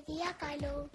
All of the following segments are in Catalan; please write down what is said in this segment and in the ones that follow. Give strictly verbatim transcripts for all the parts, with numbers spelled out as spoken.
feia calor.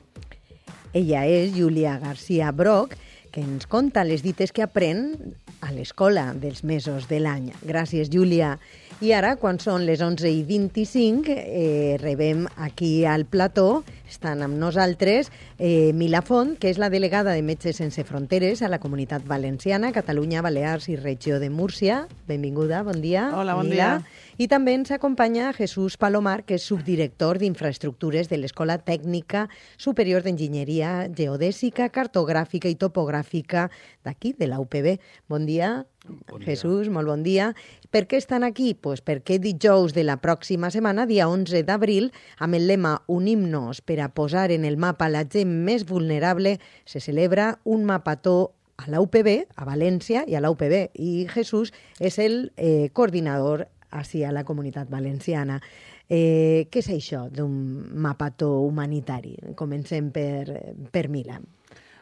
Ella és Júlia García Broc, que ens conta les dites que aprèn a l'escola dels mesos de l'any. Gràcies, Júlia. I ara, quan són les onze i vint-i-cinc, eh, rebem aquí al plató, estan amb nosaltres, eh, Mila Font, que és la delegada de Metges Sense Fronteres a la Comunitat Valenciana, Catalunya, Balears i Regió de Múrcia. Benvinguda, bon dia. Hola, bon Mila. dia. I també ens acompanya Jesús Palomar, que és subdirector d'Infraestructures de l'Escola Tècnica Superior d'Enginyeria Geodèsica, Cartogràfica i Topogràfica d'aquí, de la U P B. Bon dia, bon dia. Jesús, molt bon dia. Per què estan aquí? Pues perquè dijous de la pròxima setmana, dia onze d'abril, amb el lema Unim-nos per a posar en el mapa la gent més vulnerable, se celebra un mapató a la U P B, a València i a la U P B. I Jesús és el eh, coordinador així a la Comunitat Valenciana. Eh, què és això d'un mapató humanitari? Comencem per, per Mila.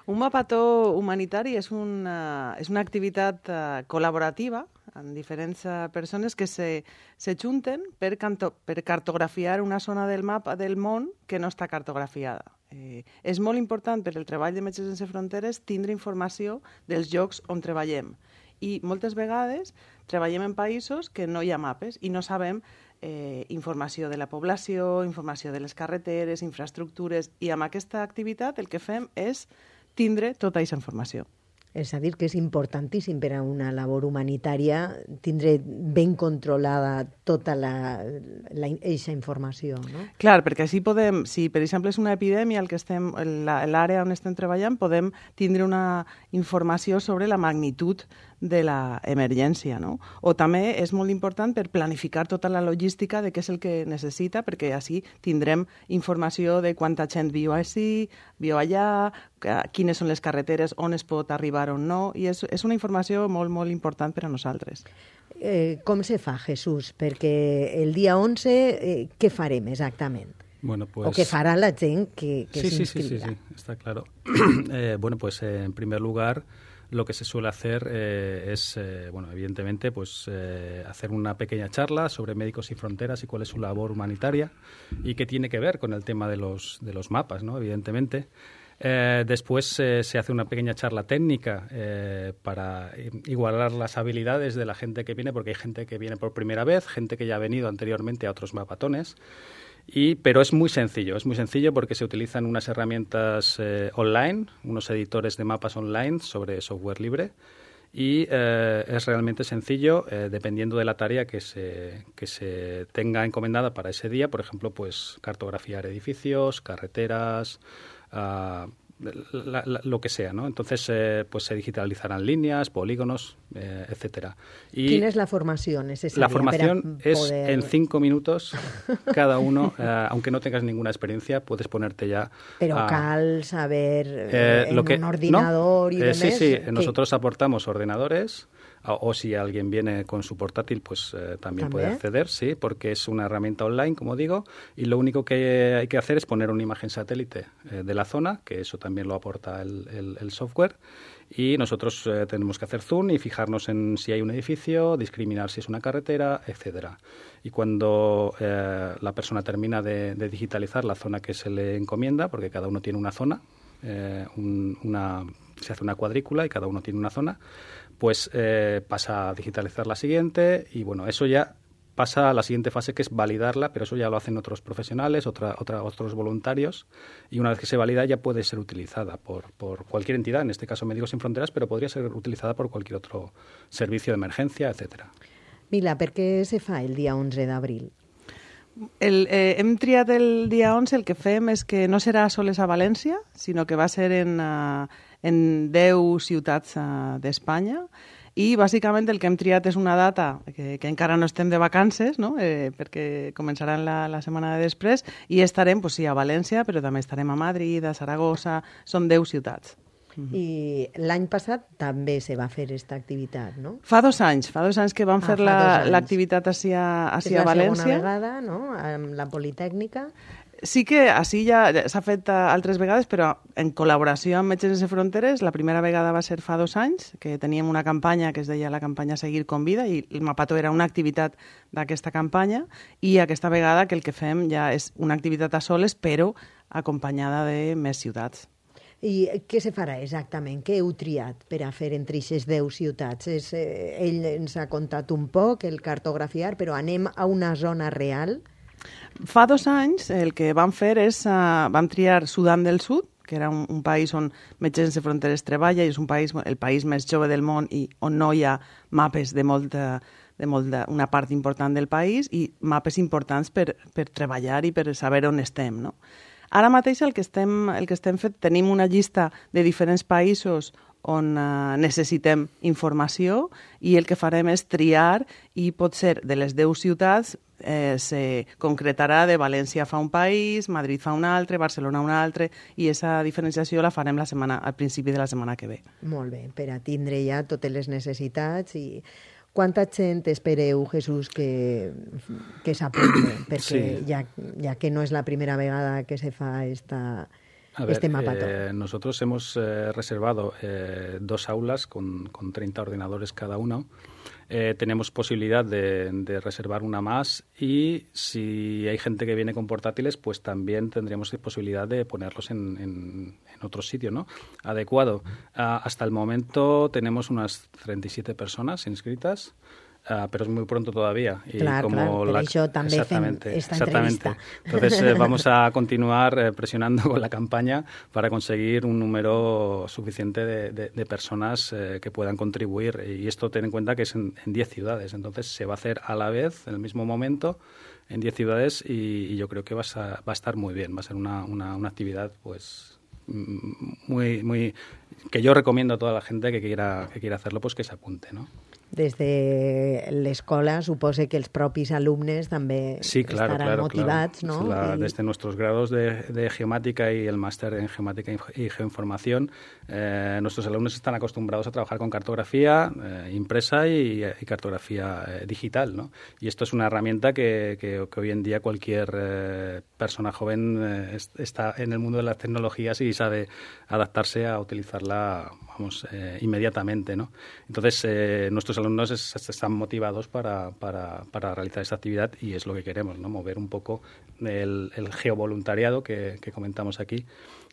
Un mapató humanitari és una, és una activitat uh, col·laborativa amb diferents uh, persones que se, se junten per, canto, per cartografiar una zona del mapa del món que no està cartografiada. Eh, és molt important per al treball de Metges Sense Fronteres tindre informació dels llocs on treballem. I moltes vegades treballem en països que no hi ha mapes i no sabem eh, informació de la població, informació de les carreteres, infraestructures, i amb aquesta activitat el que fem és tindre tota aquesta informació. És a dir, que és importantíssim per a una labor humanitària tindre ben controlada tota la, la, eixa informació, no? Clar, perquè així podem, si per exemple és una epidèmia el que estem, l'àrea on estem treballant, podem tindre una informació sobre la magnitud de l'emergència, no? O també és molt important per planificar tota la logística de què és el que necessita, perquè així tindrem informació de quanta gent viu així, viu allà, quines són les carreteres, on es pot arribar o no, i és, és una informació molt, molt important per a nosaltres. Eh, com se fa, Jesús? Perquè el dia onze, eh, què farem exactament? Bueno, pues... O què farà la gent que, que sí, s'inscriga? Sí, sí, sí, está claro. eh, bueno, pues eh, en primer lugar, lo que se suele hacer eh, es, eh, bueno, evidentemente, pues eh, hacer una pequeña charla sobre Médicos Sin Fronteras y cuál es su labor humanitaria y qué tiene que ver con el tema de los, de los mapas, ¿no? Evidentemente. Eh, después eh, se hace una pequeña charla técnica eh, para igualar las habilidades de la gente que viene, porque hay gente que viene por primera vez, gente que ya ha venido anteriormente a otros mapatones. Y, pero es muy sencillo, es muy sencillo porque se utilizan unas herramientas eh, online, unos editores de mapas online sobre software libre, y eh, es realmente sencillo eh, dependiendo de la tarea que se, que se tenga encomendada para ese día. Por ejemplo, pues cartografiar edificios, carreteras, uh, La, la, lo que sea, ¿no? Entonces, eh, pues se digitalizarán líneas, polígonos, eh, etcétera. Y ¿quién es la formación necesaria? La formación poder... es en cinco minutos cada uno, eh, aunque no tengas ninguna experiencia, puedes ponerte ya. Pero a, cal saber eh, en lo que, un ordenador ¿no? y eh, demás. Sí, sí, ¿Qué? Nosotros aportamos ordenadores. O, o si alguien viene con su portátil, pues eh, también, ¿También puede acceder, sí, porque es una herramienta online, como digo, y lo único que hay que hacer es poner una imagen satélite eh, de la zona, que eso también lo aporta el, el, el software, y nosotros eh, tenemos que hacer zoom y fijarnos en si hay un edificio, discriminar si es una carretera, etcétera. Y cuando eh, la persona termina de, de digitalizar la zona que se le encomienda, porque cada uno tiene una zona, eh, un, una, se hace una cuadrícula y cada uno tiene una zona, pues eh, pasa a digitalizar la siguiente y, bueno, eso ya pasa a la siguiente fase, que es validarla, pero eso ya lo hacen otros profesionales, otra, otra, otros voluntarios, y una vez que se valida ya puede ser utilizada por, por cualquier entidad, en este caso Médicos Sin Fronteras, pero podría ser utilizada por cualquier otro servicio de emergencia, etcétera. Mila, per què se fa el dia onze d'abril? El, eh, hem triat el dia onze, el que fem és que no serà sols a València, sinó que va ser en... Uh, en deu ciutats uh, d'Espanya, i bàsicament el que hem triat és una data que, que encara no estem de vacances, no? eh, perquè començaran la, la setmana de després, i estarem, pues, sí, a València, però també estarem a Madrid, a Saragossa, són deu ciutats. Mm-hmm. I l'any passat també se va fer aquesta activitat, no? Fa dos anys, fa dos anys que vam ah, fer l'activitat la, a, a València. És la segona vegada, no?, amb la Politècnica. Sí que així ja s'ha fet altres vegades, però en col·laboració amb Metges Sense Fronteres, la primera vegada va ser fa dos anys, que teníem una campanya que es deia la campanya Seguir con Vida, i el Mapató era una activitat d'aquesta campanya, i aquesta vegada que el que fem ja és una activitat a soles, però acompanyada de més ciutats. I què se farà exactament? Què heu triat per a fer entre aquestes deu ciutats? És, eh, ell ens ha contat un poc, el cartografiar, però anem a una zona real? Fa dos anys el que vam fer és, uh, vam triar Sudan del Sud, que era un, un país on Metges Sense Fronteres treballa, i és un país, el país més jove del món i on no hi ha mapes de molta, de molta, una part important del país i mapes importants per, per treballar i per saber on estem, no? Ara mateix el que estem, el que estem fet, tenim una llista de diferents països on uh, necessitem informació i el que farem és triar i potser de les deu ciutats eh, se concretarà de València fa un país, Madrid fa un altre, Barcelona un altre, i aquesta diferenciació la farem la setmana, al principi de la setmana que ve. Molt bé, per a tindre ja totes les necessitats. I quanta gent espereu, Jesús, que, que s'apunte? Perquè sí. ja, ja que no és la primera vegada que se fa esta... A ver, este Mapató. eh, nosotros hemos eh, reservado eh, dos aulas con, con treinta ordenadores cada uno. Eh, tenemos posibilidad de, de reservar una más y si hay gente que viene con portátiles, pues también tendríamos posibilidad de ponerlos en, en, en otro sitio, ¿no? Adecuado. Uh, hasta el momento tenemos unas treinta y siete personas inscritas. Uh, pero es muy pronto todavía. Y clar, como clar, per la... això també exactamente, fem esta exactamente. entrevista. Entonces eh, vamos a continuar eh, presionando con la campaña para conseguir un número suficiente de, de, de personas eh, que puedan contribuir. Y esto ten en cuenta que es en diez ciudades. Entonces se va a hacer a la vez, en el mismo momento, en diez ciudades y, y yo creo que va a, va a estar muy bien. Va a ser una, una, una actividad pues muy, muy que yo recomiendo a toda la gente que quiera, que quiera hacerlo, pues que se apunte, ¿no? Des de l'escola suposo que els propis alumnes també sí, claro, estaran claro, motivats, claro. ¿no? La, y... Desde nuestros grados de, de geomática y el máster en geomática y geoinformación, eh, nuestros alumnos están acostumbrados a trabajar con cartografía eh, impresa y, y cartografía eh, digital, ¿no? Y esto es una herramienta que, que, que hoy en día cualquier eh, persona joven eh, está en el mundo de las tecnologías y sabe adaptarse a utilizarla, vamos, eh, inmediatamente, ¿no? Entonces, eh, nuestros alumnos es, están motivados para, para, para realizar esta actividad y es lo que queremos, ¿no? Mover un poco el, el geovoluntariado que, que comentamos aquí,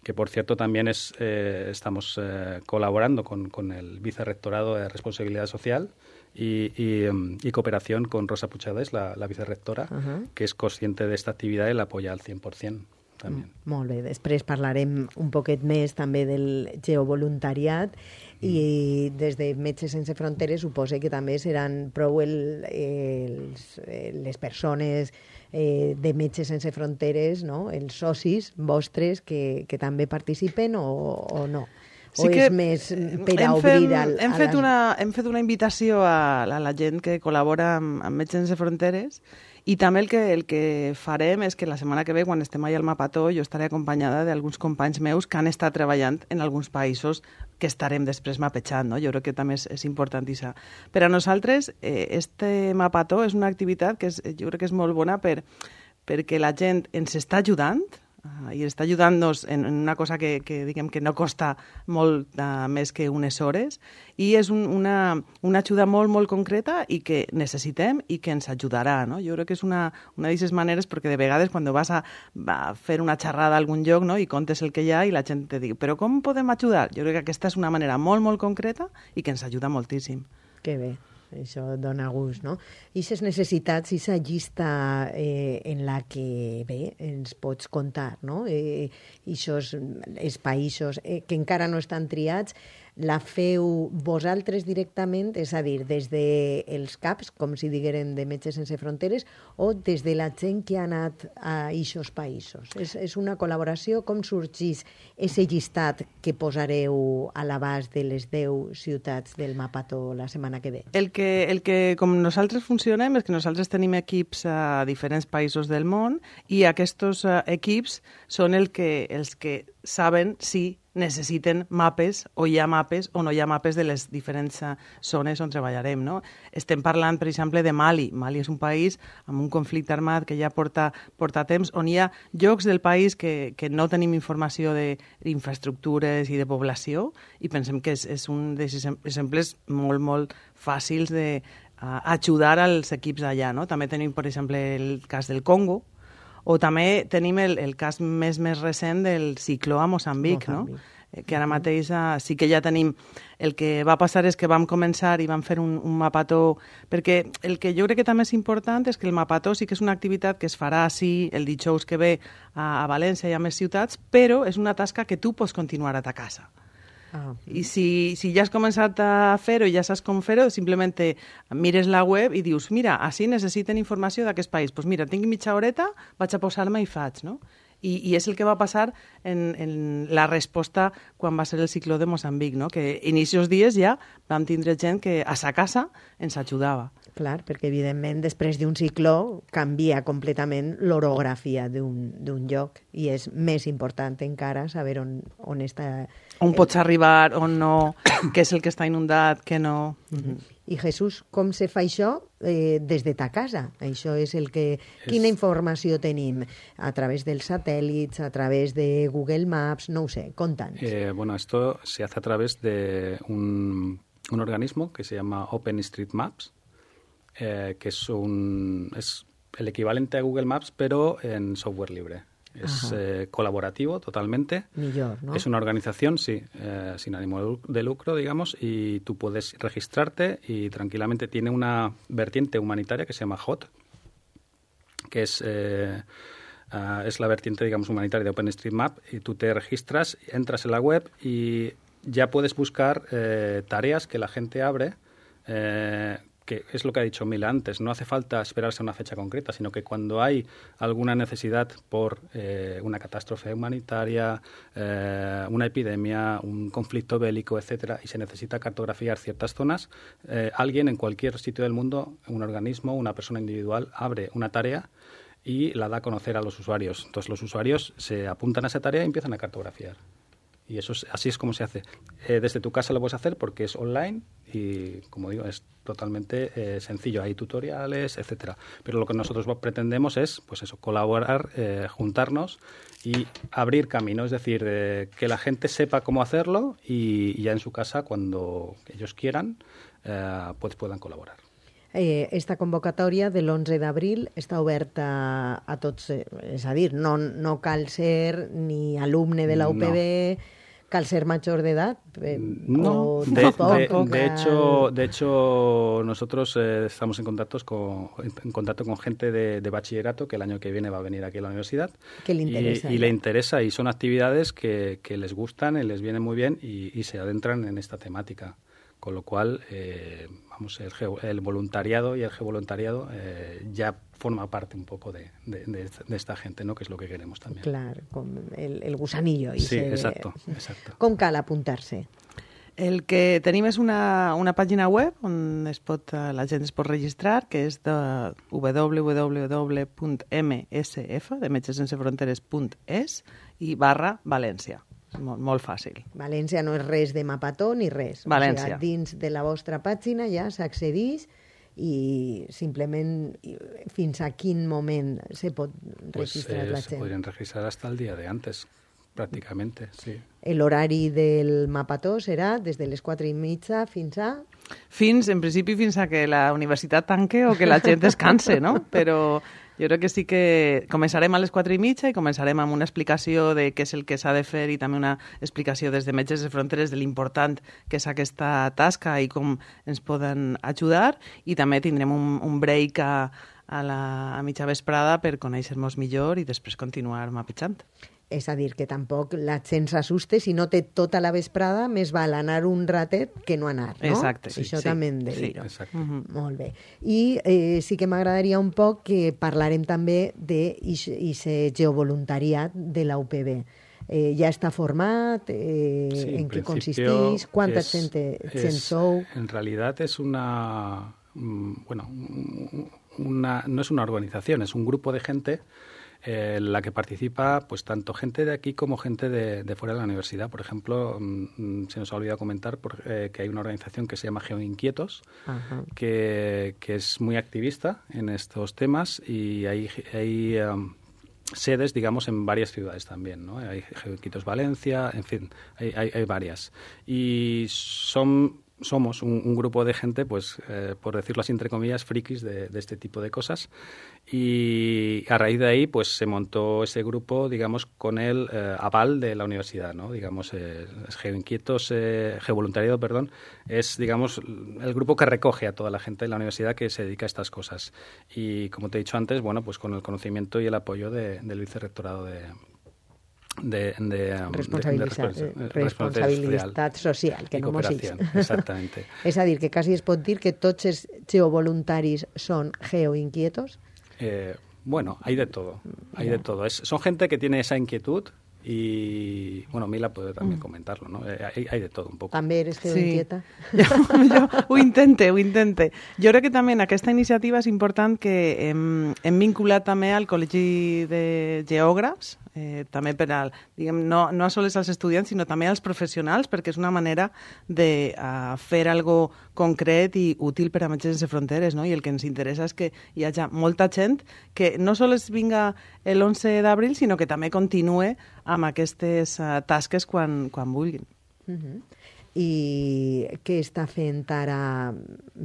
que por cierto también es eh, estamos eh, colaborando con, con el Vicerrectorado de Responsabilidad Social y, y, y cooperación con Rosa Puigdemont, la, la vicerrectora, uh-huh. que es consciente de esta actividad y la apoya al cien por ciento. També. Molt bé, després parlarem un poquet més també del geovoluntariat i des de Metges Sense Fronteres suposo que també seran prou el, els, les persones eh, de Metges Sense Fronteres, no? Els socis vostres que, que també participen o, o no? Sí o és més per a obrir al, hem, a fet les... una, hem fet una invitació a, a la gent que col·labora amb, amb Metges Sense Fronteres i també el que, el que farem és que la setmana que ve, quan estem allà al Mapató, jo estaré acompanyada d'alguns companys meus que han estat treballant en alguns països que estarem després mapejant, no? Jo crec que també és, és importantíssima. Per a nosaltres, eh, este Mapató és una activitat que és, jo crec que és molt bona per, perquè la gent ens està ajudant, Uh, i està ajudant-nos en, en una cosa que, que, diguem, que no costa molt uh, més que unes hores i és un, una, una ajuda molt, molt concreta i que necessitem i que ens ajudarà, no? Jo crec que és una, una d'aquestes maneres perquè de vegades quan vas a, a fer una xerrada a algun lloc, no? I contes el que hi ha i la gent te diu però com podem ajudar? Jo crec que aquesta és una manera molt, molt concreta i que ens ajuda moltíssim. Que bé. Això dona gust, no? I aquestes necessitats, aquesta llista eh, en la que, bé, ens pots contar, no? Eh, I aquests els països eh, que encara no estan triats, la feu vosaltres directament, és a dir, des dels CAPs, com si digueren de Metges Sense Fronteres, o des de la gent que ha anat a aquests països? És, és una col·laboració? Com sorgís aquest llistat que posareu a l'abast de les deu ciutats del Mapató la setmana que ve? El que, el que com nosaltres funcionem és que nosaltres tenim equips a diferents països del món i aquests uh, equips són el que, els que saben si necessiten mapes, o hi ha mapes o no hi ha mapes de les diferents zones on treballarem, no? Estem parlant, per exemple, de Mali. Mali és un país amb un conflicte armat que ja porta, porta temps, on hi ha llocs del país que, que no tenim informació d'infraestructures i de població, i pensem que és, és un dels exemples molt, molt fàcils de uh, ajudar als equips allà, no? També tenim, per exemple, el cas del Congo, o també tenim el, el cas més més recent del cicló a Moçambic, Moçambic. no? Que ara mateix uh, sí que ja tenim... El que va passar és que vam començar i vam fer un, un mapató, perquè el que jo crec que també és important és que el mapató sí que és una activitat que es farà sí el dijous que ve a, a València i a més ciutats, però és una tasca que tu pots continuar a ta casa. Ah. I si, si ja has començat a fer-ho i ja saps com fer-ho, simplement mires la web i dius, mira, així necessiten informació d'aquest país. Doncs pues mira, tinc mitja horeta, vaig a posar-me i faig, no? I, I és el que va passar en, en la resposta quan va ser el cicló de Moçambic, no? Que inicios dies ja vam tindre gent que a sa casa ens ajudava. Clar, perquè evidentment després d'un cicló canvia completament l'orografia d'un lloc i és més important encara saber on, on està... On pots arribar, on no, què és el que està inundat, què no... Mm-hmm. I Jesús, com se fa això eh, des de ta casa? Això és el que... Quina informació tenim? A través dels satèl·lits, a través de Google Maps, no ho sé, conta'ns. Eh, bueno, esto se hace a través de un, un organismo que se llama OpenStreetMaps, eh, que es, un, es el equivalente a Google Maps, pero en software libre. Es eh, colaborativo totalmente. Millor, ¿no? Es una organización, sí, eh, sin ánimo de lucro, digamos, y tú puedes registrarte y tranquilamente tiene una vertiente humanitaria que se llama H O T, que es, eh, uh, es la vertiente, digamos, humanitaria de OpenStreetMap, y tú te registras, entras en la web y ya puedes buscar eh, tareas que la gente abre, eh, que es lo que ha dicho Mila antes, no hace falta esperarse a una fecha concreta, sino que cuando hay alguna necesidad por eh, una catástrofe humanitaria, eh, una epidemia, un conflicto bélico, etcétera, y se necesita cartografiar ciertas zonas, eh, alguien en cualquier sitio del mundo, un organismo, una persona individual, abre una tarea y la da a conocer a los usuarios. Entonces los usuarios se apuntan a esa tarea y empiezan a cartografiar. Y eso es, así es como se hace. Eh, desde tu casa lo puedes hacer porque es online y, como digo, es totalmente eh, sencillo. Hay tutoriales, etcétera. Pero lo que nosotros pretendemos es, pues eso, colaborar, eh, juntarnos y abrir camino. Es decir, eh, que la gente sepa cómo hacerlo y, y ya en su casa, cuando ellos quieran, eh, pues puedan colaborar. Eh, esta convocatòria de l'onze d'abril està oberta a tots, eh, és a dir, no, no cal ser ni alumne de la U P B, no. Cal ser mayor de edad. Eh, no, de, de, de, hecho, de hecho nosotros eh, estamos en contacto con, en contacto con gente de, de bachillerato que el año que viene va a venir aquí a la universidad. Que le interesa. Y, y le interesa, y son actividades que, que les gustan y les vienen muy bien y, y se adentran en esta temática. Con lo cual, eh, vamos, el, el voluntariado y el gevoluntariado eh, ya forma parte un poco de, de, de, de esta gente, ¿no? Que es lo que queremos también. Claro, con el, el gusanillo. I sí, se... exacto, exacto. Com cal apuntar-se? El que tenim és una, una pàgina web on es pot, la gent es pot registrar, que és de w w w punt m s f, de Metges Sense Fronteres punt es, i barra València. Molt, molt fàcil. València no és res de mapató ni res. València. O sigui, dins de la vostra pàgina ja s'accedeix i simplement fins a quin moment se pot registrar pues, eh, la gent? Se podrien registrar hasta el día de antes, prácticamente, sí. L'horari del mapató serà des de les quatre i mitja fins a... Fins, en principi, fins a que la universitat tanque o que la gent descanse, no? Però jo crec que sí que començarem a les quatre i mitja i començarem amb una explicació de què és el que s'ha de fer i també una explicació des de Metges Sense Fronteres de l'important que és aquesta tasca i com ens poden ajudar, i també tindrem un, un break a, a la a mitja vesprada per conèixer-nos millor i després continuar mapejant. És a dir, que tampoc la gent s'assuste, si no té tota la vesprada, més val anar un ratet que no anar, no? Exacte. Sí, Això sí, també hem de sí, dir-ho. exacte. Uh-huh. Molt bé. I eh, sí que m'agradaria un poc que parlarem també d'aquest geovoluntariat de la U P B. Eh, ja està format, eh, sí, en, en què consisteix, quanta es, gent, gent es, sou? En realidad es una, bueno, una, no es una organización, es un grupo de gente eh, la que participa pues tanto gente de aquí como gente de, de fuera de la universidad. Por ejemplo, mmm, se nos ha olvidado comentar por, eh, que hay una organización que se llama Geoinquietos, que, que es muy activista en estos temas y hay... hay um, sedes, digamos, en varias ciudades también, ¿no? Hay Geoinquietos Valencia, en fin, hay, hay, hay varias. Y son, somos un, un grupo de gente, pues, eh, por decirlo así, entre comillas, frikis de, de este tipo de cosas. Y a raíz de ahí, pues, se montó ese grupo, digamos, con el eh, aval de la universidad, ¿no? Digamos, eh, Geoinquietos, eh, Geovoluntariado, perdón, es, digamos, el grupo que recoge a toda la gente de la universidad que se dedica a estas cosas. Y, como te he dicho antes, bueno, pues con el conocimiento y el apoyo de, del vicerrectorado de... de, de, responsabilitat, de, de responsabilitat social, que no mos ix. Exactamente. És a dir, que quasi es pot dir que tots els geovoluntaris són geoinquietos? Eh, bueno, hay de todo, hay yeah. de todo. Es, son gente que tiene esa inquietud y, bueno, Mila puede también mm. comentarlo, ¿no? Eh, hay, hay de todo un poco. També eres geoinquieta? Sí. jo, jo ho intente, ho intente. Jo crec que també en aquesta iniciativa és important que hem, hem vinculat també al Col·legi de Geògrafs, eh, també per al, diguem, no, no a sols als estudiants, sinó també als professionals, perquè és una manera de uh, fer algo concret i útil per a Metges Sense Fronteres, no? I el que ens interessa és que hi hagi molta gent que no sols vinga l'onze d'abril, sinó que també continue amb aquestes uh, tasques quan, quan vulguin. Uh-huh. I què està fent ara?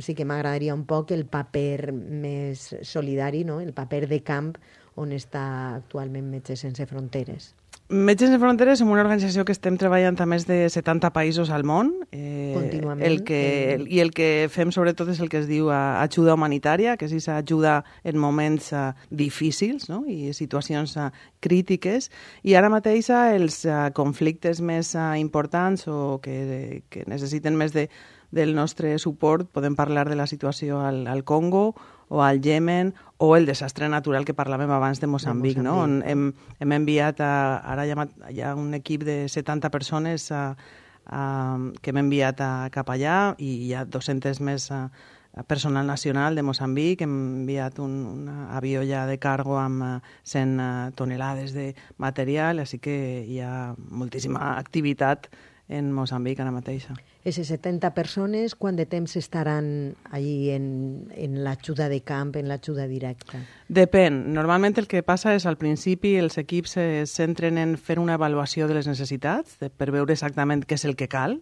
Sí que m'agradaria un poc el paper més solidari, no? El paper de camp on està actualment Metges Sense Fronteres. Metges Sense Fronteres som una organització que estem treballant a més de setanta països al món. Eh, Contínuament. El que, el, I el que fem sobretot és el que es diu uh, ajuda humanitària, que és aquesta ajuda en moments uh, difícils, no? I situacions uh, crítiques. I ara mateix uh, els uh, conflictes més uh, importants o que, que necessiten més de, del nostre suport, podem parlar de la situació al, al Congo o al Yemen, o el desastre natural que parlàvem abans de Moçambic, de Moçambic. No? On hem, hem enviat, a, ara hi ha, hi ha un equip de setanta persones a, a, que hem enviat a, cap allà i hi ha dos-centes més a, a personal nacional de Moçambic. Hem enviat un, un avió ja de cargo amb cent tonelades de material, així que hi ha moltíssima activitat en Moçambic ara mateixa. Aquestes setanta persones, quant de temps estaran allí en, en l'ajuda de camp, en l'ajuda directa? Depèn. Normalment el que passa és al principi els equips es centren en fer una avaluació de les necessitats de, per veure exactament què és el que cal,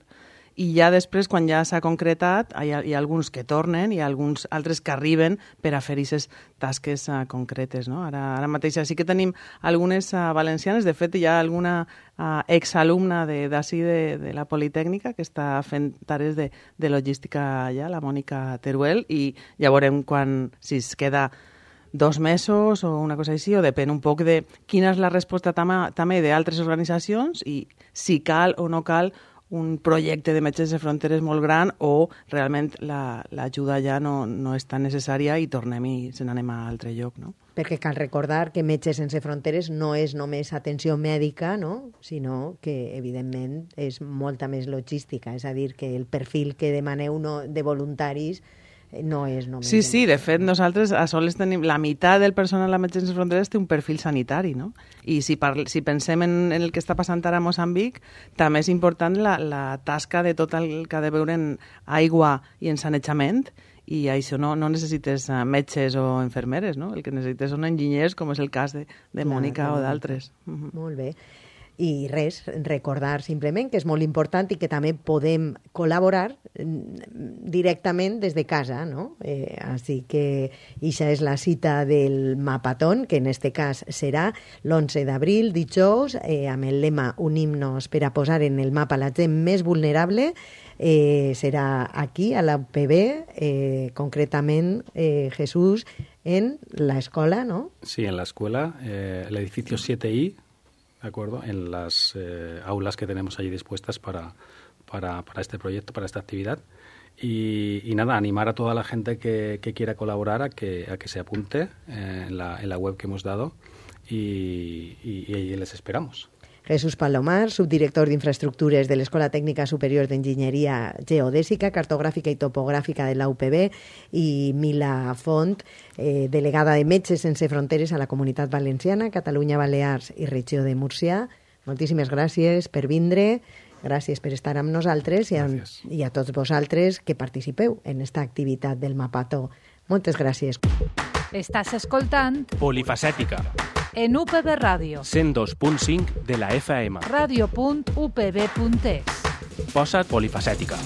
i ja després, quan ja s'ha concretat, hi ha, hi ha alguns que tornen i alguns altres que arriben per a fer aquestes tasques uh, concretes. No? Ara, ara mateix sí que tenim algunes uh, valencianes, de fet hi ha alguna uh, exalumna d'ací de, de, de la Politècnica que està fent tares de, de logística allà, la Mònica Teruel, i ja veurem quan, si es queda dos mesos o una cosa així, o depèn un poc de quina és la resposta també d'altres organitzacions i si cal o no cal un projecte de Metges Sense Fronteres molt gran o realment l'ajuda la, ja no, no és tan necessària i tornem i se n'anem a altre lloc, no? Perquè cal recordar que Metges Sense Fronteres no és només atenció mèdica, no? Sinó que, evidentment, és molta més logística. És a dir, que el perfil que demaneu no, de voluntaris no és només... Sí, sí, de fet, nosaltres a sols tenim... La meitat del personal a Metges Sense Fronteres té un perfil sanitari, no? I si, parl, si pensem en, en el que està passant ara a Moçambic, també és important la, la tasca de tot el que ha de veure en aigua i en sanejament, i això no, no necessites metges o infermeres, no? El que necessites són enginyers, com és el cas de, de Mònica Clar, o d'altres. Uh-huh. Molt bé. I res, recordar simplement que és molt important i que també podem col·laborar directament des de casa, no? Eh, així que ixa és la cita del Mapatón, que en este cas serà l'onze d'abril, dijous, eh, amb el lema Unim-nos per a posar en el mapa la gent més vulnerable. Eh, serà aquí, a la U P B, eh, concretament, eh, Jesús, en la escola, ¿no? Sí, en la escuela, eh, el edificio siete I, ¿de acuerdo? En las eh, aulas que tenemos allí dispuestas para, para, para este proyecto, para esta actividad. Y, y nada, animar a toda la gente que, que quiera colaborar a que, a que se apunte eh, en, la, en la web que hemos dado y, y, y les esperamos. Jesús Palomar, subdirector d'Infraestructures de l'Escola Tècnica Superior d'Enginyeria Geodèsica, Cartogràfica i Topogràfica de la U P B, i Mila Font, eh, delegada de Metges Sense Fronteres a la Comunitat Valenciana, Catalunya, Balears i Regió de Múrcia. Moltíssimes gràcies per vindre, gràcies per estar amb nosaltres i a, i a tots vosaltres que participeu en esta activitat del Mapato. Moltes gràcies. Estàs escoltant Polifacètica en U P B Ràdio. cent dos punt cinc de la F M. ràdio punt u p b punt es. Posa't polifacètica.